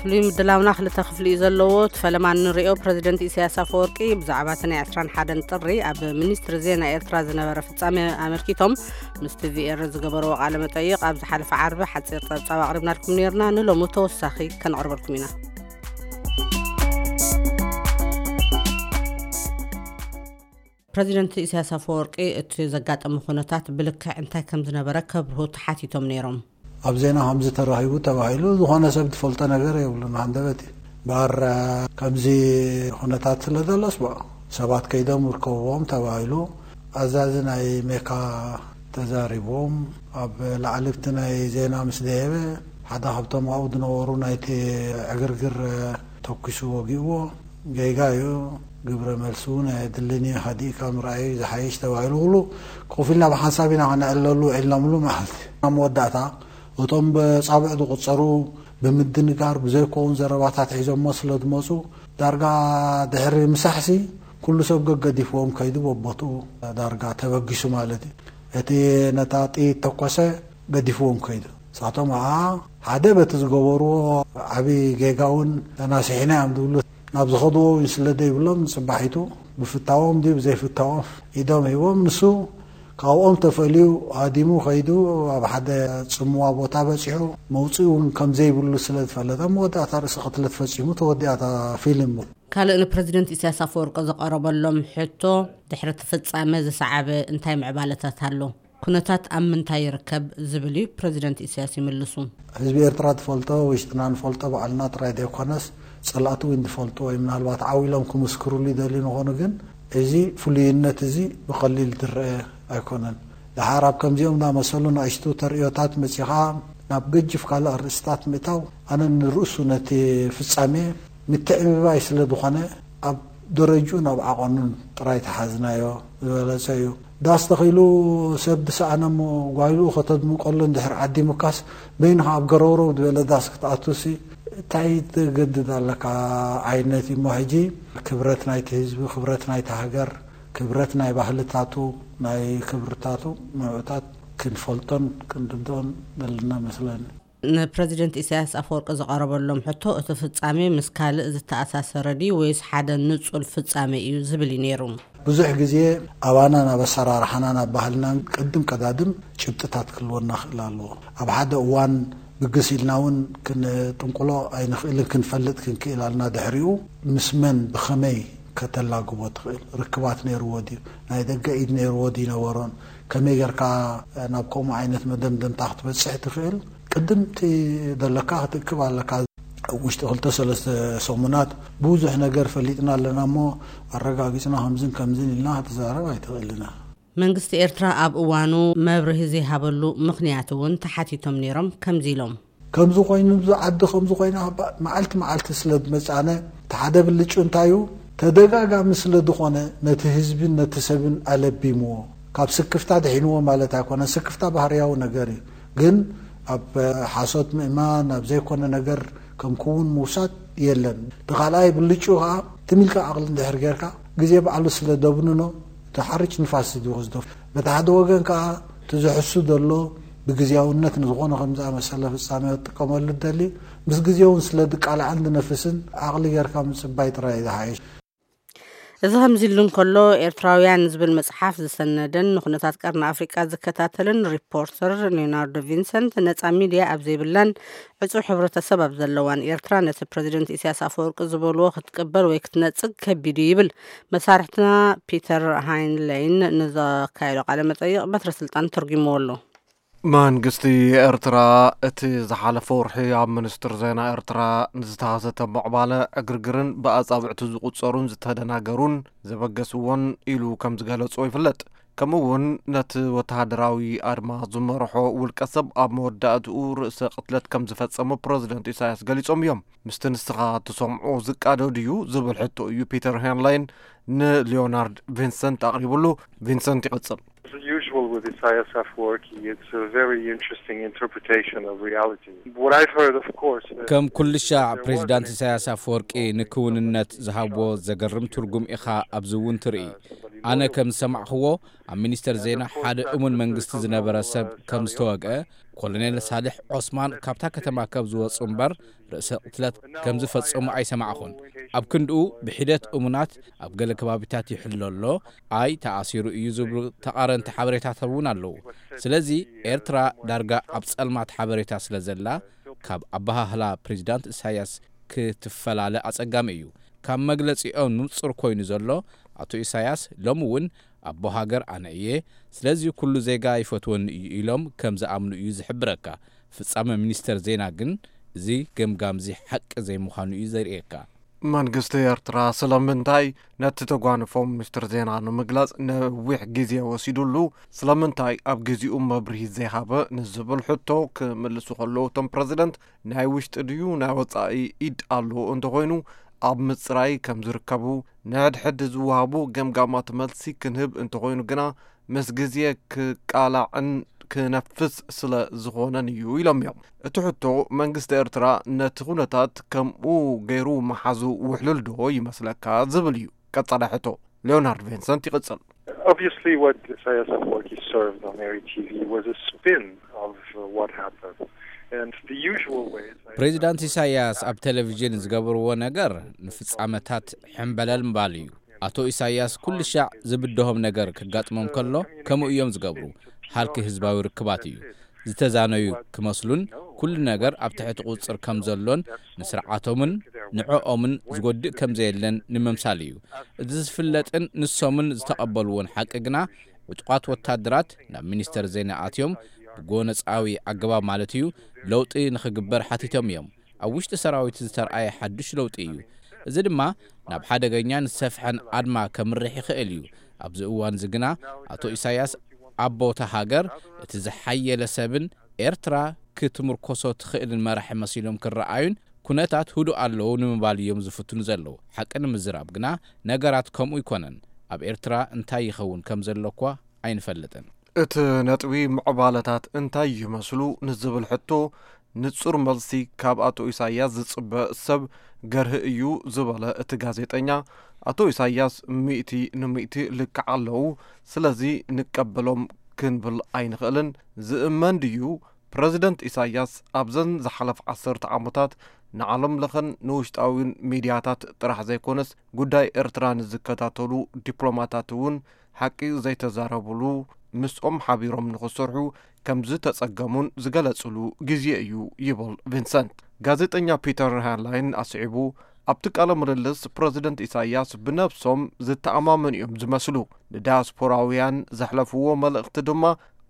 ፍሉይ ምድላውና ክልተ ክፍሊ እዩ ዘለዎ። እቲ ፈለማ እንሪኦ ፕረዚደንት ኢሳያስ ኣፈወርቂ ብዛዕባ እቲ ናይ ዕስራን ሓደን ጥሪ ኣብ ሚኒስትሪ ዜና ኤርትራ ዝነበረ ፍጻሜ ኣመልኪቶም ምስ ቲቪኤር ዝገበርዎ ቃለ መጠይቕ ኣብ ዝሓለፈ ዓርቢ ሓጺር ጸብጻብ ኣቕሪብናልኩም ነይርና። ንሎሚ ተወሳኺ ከነቕርበልኩም ኢና። ፕረዚደንት ኢሳያስ ኣፈወርቂ እቲ ዘጋጠመ ኩነታት ብልክዕ እንታይ ከም ዝነበረ ከብርሁ ተሓቲቶም ነይሮም። ኣብ ዜና ከምዚ ተራኺቡ ተባሂሉ ዝኾነ ሰብ ዝፈልጦ ነገር የብሉን። ሃንደበት እዩ። እምበኣር ከምዚ ኩነታት ስለ ዘሎስ፣ ሰባት ከይዶም ይርከብዎም ተባሂሉ። ኣዛዚ ናይ ሜካ ተዛሪቦም፣ ኣብ ላዕሊ ኣብቲ ናይ ዜና ምስ ደየበ፣ ሓደ ካብቶም ኣብኡ ዝነበሩ ናይቲ ዕግርግር ተኩሱ ወጊእዎ። ጌጋ እዩ። ግብረ መልሱ እውን ኣየድልን እዩ። ሃዲእካ ምርኣይ ዝሓይሽ ተባሂሉ፣ ኩሉ ኮፍ ኢልና ብሓንሳብ ኢና ክነዕልለሉ ዒልናምሉ መዓልቲ። ኣብ መወዳእታ እቶም ብጻብዕ ዝቑጸሩ ብምድንጋር ብዘይከውን ዘረባታት ሒዞሞ ስለ ዝመጹ፣ ዳርጋ ድሕሪ ምሳሕሲ ኩሉ ሰብ ገገዲፍዎም ከይዱ፣ በቦትኡ ዳርጋ ተበጊሱ ማለት እዩ። እቲ ነታ ጥይት ተኮሰ ገዲፍዎም ከይዱ። ንሳቶም ኸዓ ሓደ በቲ ዝገበርዎ ዓቢ ጌጋ እውን ተናሲሕና እዮም ዝብሉ። ናብ ዝኸድዎ እውን ስለ ዘይብሎም፣ ንጽባሒቱ ብፍታዎም ድዩ ብዘይፍታዎም ኢዶም ሂቦም፣ ንሱ ካብኦም ተፈልዩ ሃዲሙ ከይዱ፣ ኣብ ሓደ ጽምዋ ቦታ በጺሑ፣ መውጽኢ እውን ከም ዘይብሉ ስለ ዝፈለጠ፣ መወዳእታ ርእሲ ቅትለት ፈጺሙ፣ ተወዲኣታ ፊልም። ካልእ ንፕረዚደንት ኢሳያስ ኣፈወርቂ ዝቐረበሎም ሕቶ፣ ድሕሪ እቲ ፍጻመ ዝሰዓበ እንታይ ምዕባለታት ኣሎ? ኩነታት ኣብ ምንታይ ይርከብ? ዝብል እዩ ፕረዚደንት ኢሳያስ ይምልሱ። ህዝቢ ኤርትራ ዝፈልጦ፣ ውሽጥና ንፈልጦ ባዕልና ጥራይ ዘይኮነስ፣ ጸላእቲ እውን ዝፈልጦ ወይ ምናልባት ዓው ኢሎም ክምስክሩሉ ይደልዩ ንኾኑ፣ ግን እዚ ፍሉይነት እዚ ብቐሊል ዝረአ ኣይኮነን። ደሓር ኣብ ከምዚኦም ዝኣመሰሉ ንኣሽቱ ተርእዮታት መጺኻ ናብ ገጅፍ ካልእ ኣርእስታት ምእታው፣ ኣነ ንርእሱ ነቲ ፍጻሜ ምትዕብባይ ስለ ዝኾነ፣ ኣብ ደረጅኡን ኣብ ዓቐኑን ጥራይ ተሓዝናዮ ዝበለጸ እዩ። ዳስ ተኺሉ ሰብ ዝሰኣነ እሞ ጓይልኡ ከተድምቀሉ እንድሕር ዓዲሙካስ፣ በይንኻ ኣብ ገረውረው ዝበለ ዳስ ክትኣቱሲ እንታይ ትገድድ ኣለካ ዓይነት እዩ እሞ፣ ሕጂ ክብረት ናይቲ ህዝቢ፣ ክብረት ናይቲ ሃገር፣ ክብረት ናይ ባህልታቱ፣ ናይ ክብርታቱ ንዕታት ክንፈልጦን ክንርድኦን ዘለና መስለኒ። ንፕረዚደንት ኢሳያስ ኣፈወርቂ ዝቐረበሎም ሕቶ፣ እቲ ፍጻሜ ምስ ካልእ ዝተኣሳሰረ ድዩ ወይስ ሓደ ንጹል ፍጻሜ እዩ ዝብል እዩ ነይሩ። ብዙሕ ግዜ ኣባና ናብ ኣሰራርሓና፣ ናብ ባህልናን ቅድም ቀዳድም ጭብጥታት ክህልወና ክእል ኣለዎ። ኣብ ሓደ እዋን ብግስ ኢልና እውን ክንጥንቁሎ ኣይንኽእልን፣ ክንፈልጥ ክንክእል ኣልና። ድሕሪኡ ምስ መን ብኸመይ ከተላግቦ ትኽእል፣ ርክባት ነይርዎ ድዩ፣ ናይ ደገ ኢድ ነይርዎ ድዩ ነበሮን፣ ከመይ ጌርካ ናብ ከምኡ ዓይነት መደምደምታ ክትበጽሕ ትኽእል፣ ቅድምቲ ዘለካ ክትእክብ ኣለካ። ኣብ ውሽጢ ክልተ ሰለስተ ሰሙናት ብዙሕ ነገር ፈሊጥና ኣለና እሞ፣ ኣረጋጊጽና ከምዝን ከምዝን ኢልና ክትዛረብ ኣይትኽእልና። መንግስቲ ኤርትራ ኣብ እዋኑ መብርሂ ዘይሃበሉ ምኽንያት እውን ተሓቲቶም ነይሮም። ከምዚ ኢሎም። ከምዚ ኮይኑ፣ እዚ ዓዲ ከምዚ ኮይና፣ መዓልቲ መዓልቲ ስለ ዝመጻነ፣ እቲ ሓደ ብልጩ እንታይ እዩ፣ ተደጋጋሚ ስለ ዝኾነ፣ ነቲ ህዝብን ነቲ ሰብን ኣለቢምዎ። ካብ ስክፍታ ድሒንዎ ማለት ኣይኮነን። ስክፍታ ባህርያዊ ነገር እዩ። ግን ኣብ ሓሶት ምእማን፣ ኣብ ዘይኮነ ነገር ከም ክውን ምውሳድ የለን። እቲ ካልኣይ ብልጩ ከኣ፣ ትም ኢልካ ዓቕሊ እንድሕር ጌርካ፣ ግዜ ባዕሉ ስለ ደብንኖ፣ እቲ ሓርጭ ንፋስ እዩ ዝወስዶ። በቲ ሓደ ወገን ከኣ፣ እቲ ዝሕሱ ዘሎ ብግዝያውነት ንዝኾነ ከም ዝኣመሰለ ፍጻሜ ክጥቀመሉ ዝደሊ፣ ምስ ግዜ እውን ስለ ዝቃላዕን ዝነፍስን፣ ዓቕሊ ጌርካ ምጽባይ ጥራይ እዩ ዝሓይሽ። እዚ ከምዚ ኢሉ እንከሎ፣ ኤርትራውያን ዝብል መጽሓፍ ዝሰነደን ንኩነታት ቀርኒ ኣፍሪቃ ዝከታተልን ሪፖርተር ሊዮናርዶ ቪንሰንት፣ ነጻ ሚድያ ኣብ ዘይብላን ዕጹው ሕብረተሰብ ኣብ ዘለዋን ኤርትራ፣ ነቲ ፕረዚደንት ኢሳያስ ኣፈወርቂ ዝበልዎ ክትቅበል ወይ ክትነጽግ ከቢድ እዩ ይብል። መሳርሕትና ፒተር ሃይንለይን ንዘካየዶ ቃለ መጠይቕ በትረ ስልጣን ተርጉምዎ ኣሎ። መንግስቲ ኤርትራ እቲ ዝሓለፈ ወርሒ ኣብ ሚኒስትር ዜና ኤርትራ ንዝተኸሰተ ምዕባለ ዕግርግርን ብኣጻብዕቲ ዝቑጸሩን ዝተደናገሩን ዘበገስዎን ኢሉ ከም ዝገለጾ ይፍለጥ። ከምኡ እውን ነቲ ወተሃደራዊ ኣድማ ዝመርሖ ውልቀ ሰብ ኣብ መወዳእትኡ ርእሰ ቅትለት ከም ዝፈጸሙ ፕረዚደንት ኢሳያስ ገሊጾም እዮም። ምስቲ ንስኻ ትሰምዖ ዝቃዶ ድዩ ዝብል ሕቶ እዩ ፒተር ሄንላይን ንሊዮናርድ ቪንሰንት ኣቕሪብሉ። ቪንሰንት ይቕጽል። As usual with Isaias Afwerki, it's a very interesting interpretation of reality. What I've heard, of course, uh, ከም ኩሉ ሻዕ there was ፕሬዚዳንት an ኢሳያስ ኣፈወርቂ ንክውንነት ዝሃብዎ ዘገርም ትርጉም ኢኻ ኣብዚ እውን ትርኢ። ኣነ ከም ዝሰማዕኽዎ፣ ኣብ ሚኒስተር ዜና ሓደ እሙን መንግስቲ ዝነበረ ሰብ ከም ዝተወግአ፣ ኮሎኔል ሳልሕ ዖስማን ካብታ ከተማ ከም ዝወጹ እምበር ርእሰ ቅትለት ከም ዝፈጸሙ ኣይሰማዕኹን። ኣብ ክንድኡ ብሒደት እሙናት ኣብ ገለ ከባቢታት ይሕሎ ኣሎ፣ ኣይ ተኣሲሩ እዩ ዝብሉ ተቓረንቲ ሓበሬታታት እውን ኣለዉ። ስለዚ ኤርትራ ዳርጋ ኣብ ጸልማት ሓበሬታ ስለ ዘላ፣ ካብ ኣበሃህላ ፕሬዚዳንት ኢሳያስ ክትፈላለ ኣጸጋሚ እዩ። ካብ መግለጺኦም ንጹር ኮይኑ ዘሎ፣ ኣቶ ኢሳያስ ሎሚ እውን ኣቦ ሃገር ኣነ እየ፣ ስለዚ ኩሉ ዜጋ ይፈትወኒ እዩ ኢሎም ከም ዝኣምኑ እዩ ዝሕብረካ። ፍጻመ ሚኒስተር ዜና ግን እዚ ገምጋምዚ ሓቂ ዘይምዃኑ እዩ ዘርእየካ። መንግስቲ ኤርትራ ስለምንታይ ነቲ ተጓንፎ ሚኒስትር ዜና ንምግላጽ ነዊሕ ግዜ ወሲዱሉ፣ ስለምንታይ ኣብ ግዜኡ መብርሂ ዘይሃበ ንዝብል ሕቶ ክምልሱ ከለዉ፣ እቶም ፕረዚደንት ናይ ውሽጢ ድዩ ናይ ወጻኢ ኢድ ኣሎ እንተኾይኑ ኣብ ምጽራይ ከም ዝርከቡ፣ ንሕድሕድ ዝወሃቡ ገምጋማት መልሲ ክንህብ እንተኾይኑ ግና ምስ ግዜ ክቃላዕን ክነፍስ ስለ ዝኾነን እዩ ኢሎም እዮም። እቲ ሕቶ መንግስቲ ኤርትራ ነቲ ኩነታት ከምኡ ገይሩ ምሓዙ ውሕሉል ዶ ይመስለካ ዝብል እዩ ቀጻሊ ሕቶ። ሊዮናርድ ቪንሰንት ይቕጽል። Obviously, what Isaias Afwerki served on Eri T V was a spin of uh, what happened. And the usual ways. ፕሬዚዳንት ኢሳያስ ኣብ ቴሌቪዥን ዝገበርዎ ነገር ንፍጻመታት ሕምበለል ምባል እዩ። ኣቶ ኢሳያስ ኩሉ ሻዕ ዝብድሆም ነገር ክጋጥሞም ከሎ ከምኡ እዮም ዝገብሩ። ሃልኪ ህዝባዊ ርክባት እዩ። ዝተዛነዩ ክመስሉን ኩሉ ነገር ኣብ ትሕቲ ቁጽር ከም ዘሎን ንስርዓቶምን ንዕኦምን ዝጎድእ ከም ዘየለን ንምምሳል እዩ። እዚ ዝፍለጥን ንሶምን ዝተቐበልዎን ሓቂ ግና፣ ዕጡቓት ወታደራት ናብ ሚኒስተር ዜና ኣትዮም ብጎነጻዊ ኣገባብ ማለት እዩ ለውጢ ንኽግበር ሓቲቶም እዮም። ኣብ ውሽጢ ሰራዊት ዝተርኣየ ሓድሽ ለውጢ እዩ። እዚ ድማ ናብ ሓደገኛን ዝሰፍሐን ኣድማ ከምርሕ ይኽእል እዩ። ኣብዚ እዋን እዚ ግና ኣቶ ኢሳያስ ኣብ ቦታ ሃገር እቲ ዝሓየለ ሰብን ኤርትራ ክትምርኮሶ ትኽእልን መራሒ መሲሎም ክረኣዩን ኩነታት ህዱእ ኣለዉ ንምባል እዮም ዝፍትኑ ዘለዉ። ሓቂ ንምዝራብ ግና ነገራት ከምኡ ኣይኮነን። ኣብ ኤርትራ እንታይ ይኸውን ከም ዘሎ እኳ ኣይንፈልጥን። እቲ ነጥቢ ምዕባለታት እንታይ ይመስሉ ንዝብል ሕቶ ንጹር መልሲ ካብ ኣቶ ኢሳያስ ዝጽበ ሰብ ገርህ እዩ ዝበለ እቲ ጋዜጠኛ፣ ኣቶ ኢሳያስ ሚእቲ ንሚእቲ ልክዕ ኣለዉ፣ ስለዚ ንቀበሎም ክንብል ኣይንኽእልን። ዝእመን ድዩ? ፕረዚደንት ኢሳያስ ኣብዘን ዝሓለፍ ዓሰርተ ዓመታት ንዓለም ለኸን ንውሽጣዊን ሚድያታት ጥራሕ ዘይኮነስ፣ ጉዳይ ኤርትራ ንዝከታተሉ ዲፕሎማታት እውን ሓቂ ዘይተዛረብሉ፣ ምስኦም ሓቢሮም ንኽሰርሑ ከም ዝተጸገሙን ዝገለጽሉ ግዜ እዩ ይብል ቪንሰንት። ጋዜጠኛ ፒተር ሃርላይን ኣስዒቡ፣ ኣብቲ ቃለ ምልልስ ፕረዚደንት ኢሳያስ ብነብሶም ዝተኣማመኑ እዮም ዝመስሉ፣ ንዳያስፖራውያን ዘሕለፍዎ መልእኽቲ ድማ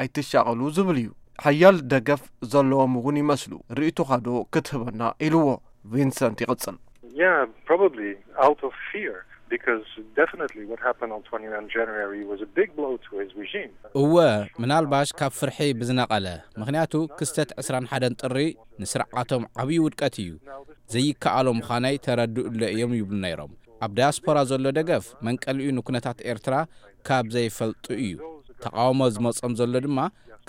ኣይትሻቐሉ ዝብል እዩ። ሓያል ደገፍ ዘለዎም እውን ይመስሉ። ርእይቶኻ ዶ ክትህበና? ኢልዎ። ቪንሰንት ይቕጽል። Yeah, probably out of fear, because definitely what happened on twenty-nine January was a big blow to his regime. እወ፣ ምናልባሽ ካብ ፍርሒ ብዝነቐለ፣ ምኽንያቱ ክስተት ዕስራን ሓደን ጥሪ ንስርዓቶም ዓብዪ ውድቀት እዩ። ዘይከኣሎ ምዃናይ ተረድኡለ እዮም ይብሉ ነይሮም። ኣብ ዳያስፖራ ዘሎ ደገፍ መንቀሊኡ ንኩነታት ኤርትራ ካብ ዘይፈልጡ እዩ። ተቓውሞ ዝመጾም ዘሎ ድማ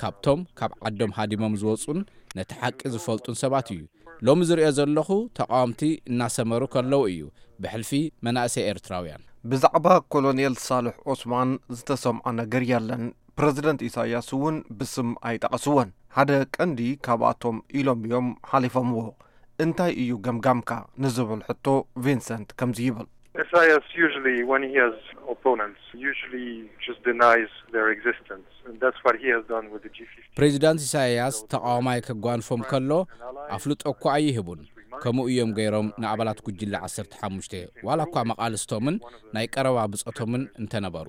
ካብቶም ካብ ዓዶም ሃዲሞም ዝወጹን ነቲ ሓቂ ዝፈልጡን ሰባት እዩ። ሎሚ ዝርእዮ ዘለኹ ተቓወምቲ እናሰመሩ ከለዉ እዩ፣ ብሕልፊ መናእሰይ ኤርትራውያን። ብዛዕባ ኮሎኔል ሳልሕ ዑስማን ዝተሰምዖ ነገር የለን። ፕረዚደንት ኢሳያስ እውን ብስም ኣይጠቐስዎን። ሓደ ቀንዲ ካብኣቶም ኢሎም እዮም ሓሊፎምዎ። እንታይ እዩ ገምጋምካ ንዝብል ሕቶ ቪንሰንት ከምዚ ይብል። Isaias usually, when he has opponents, usually just denies their existence. And that's what he has done with the G fifteen. ፕሬዚዳንት ኢሳያስ ተቓዋማይ ከጓንፎም ከሎ ኣፍልጦ እኳ ኣይህቡን። ከምኡ እዮም ገይሮም ንኣባላት ጉጅለ ዓሰርተ ሓሙሽተ፣ ዋላ እኳ መቓልስቶምን ናይ ቀረባ ብጾቶምን እንተነበሩ።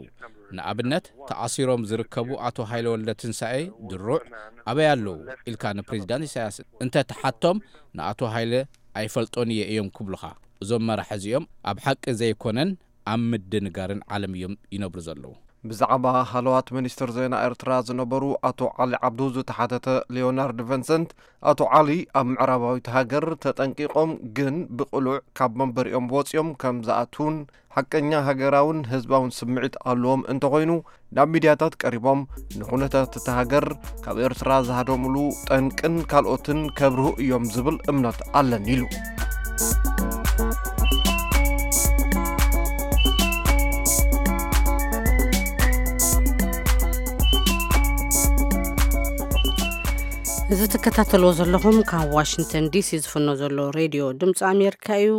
ንኣብነት፣ ተኣሲሮም ዝርከቡ ኣቶ ሃይለ ወልደ ትንሳኤ ድሩዕ ኣበይ ኣለዉ ኢልካ ንፕሬዚዳንት ኢሳያስ እንተ ትሓቶም፣ ንኣቶ ሃይለ ኣይፈልጦን እየ እዮም ክብሉኻ። እዞም መራሒ እዚኦም ኣብ ሓቂ ዘይኮነን ኣብ ምድንጋርን ዓለም እዮም ይነብሩ ዘለዉ። ብዛዕባ ሃለዋት ሚኒስትር ዜና ኤርትራ ዝነበሩ ኣቶ ዓሊ ዓብዱ ዝተሓተተ ሊዮናርድ ቨንሰንት፣ ኣቶ ዓሊ ኣብ ምዕራባዊት ሃገር ተጠንቂቖም ግን ብቕሉዕ ካብ መንበሪኦም ወፂኦም ከም ዝኣትዉን ሓቀኛ ሃገራውን ህዝባውን ስምዒት ኣለዎም እንተኾይኑ ናብ ሚድያታት ቀሪቦም ንኹነታት እታ ሃገር ካብ ኤርትራ ዝሃደሙሉ ጠንቅን ካልኦትን ከብርሁ እዮም ዝብል እምነት ኣለኒ ኢሉ። እዚ ትከታተልዎ ዘለኹም ካብ ዋሽንግተን ዲሲ ዝፍኖ ዘሎ ሬድዮ ድምፂ ኣሜሪካ እዩ።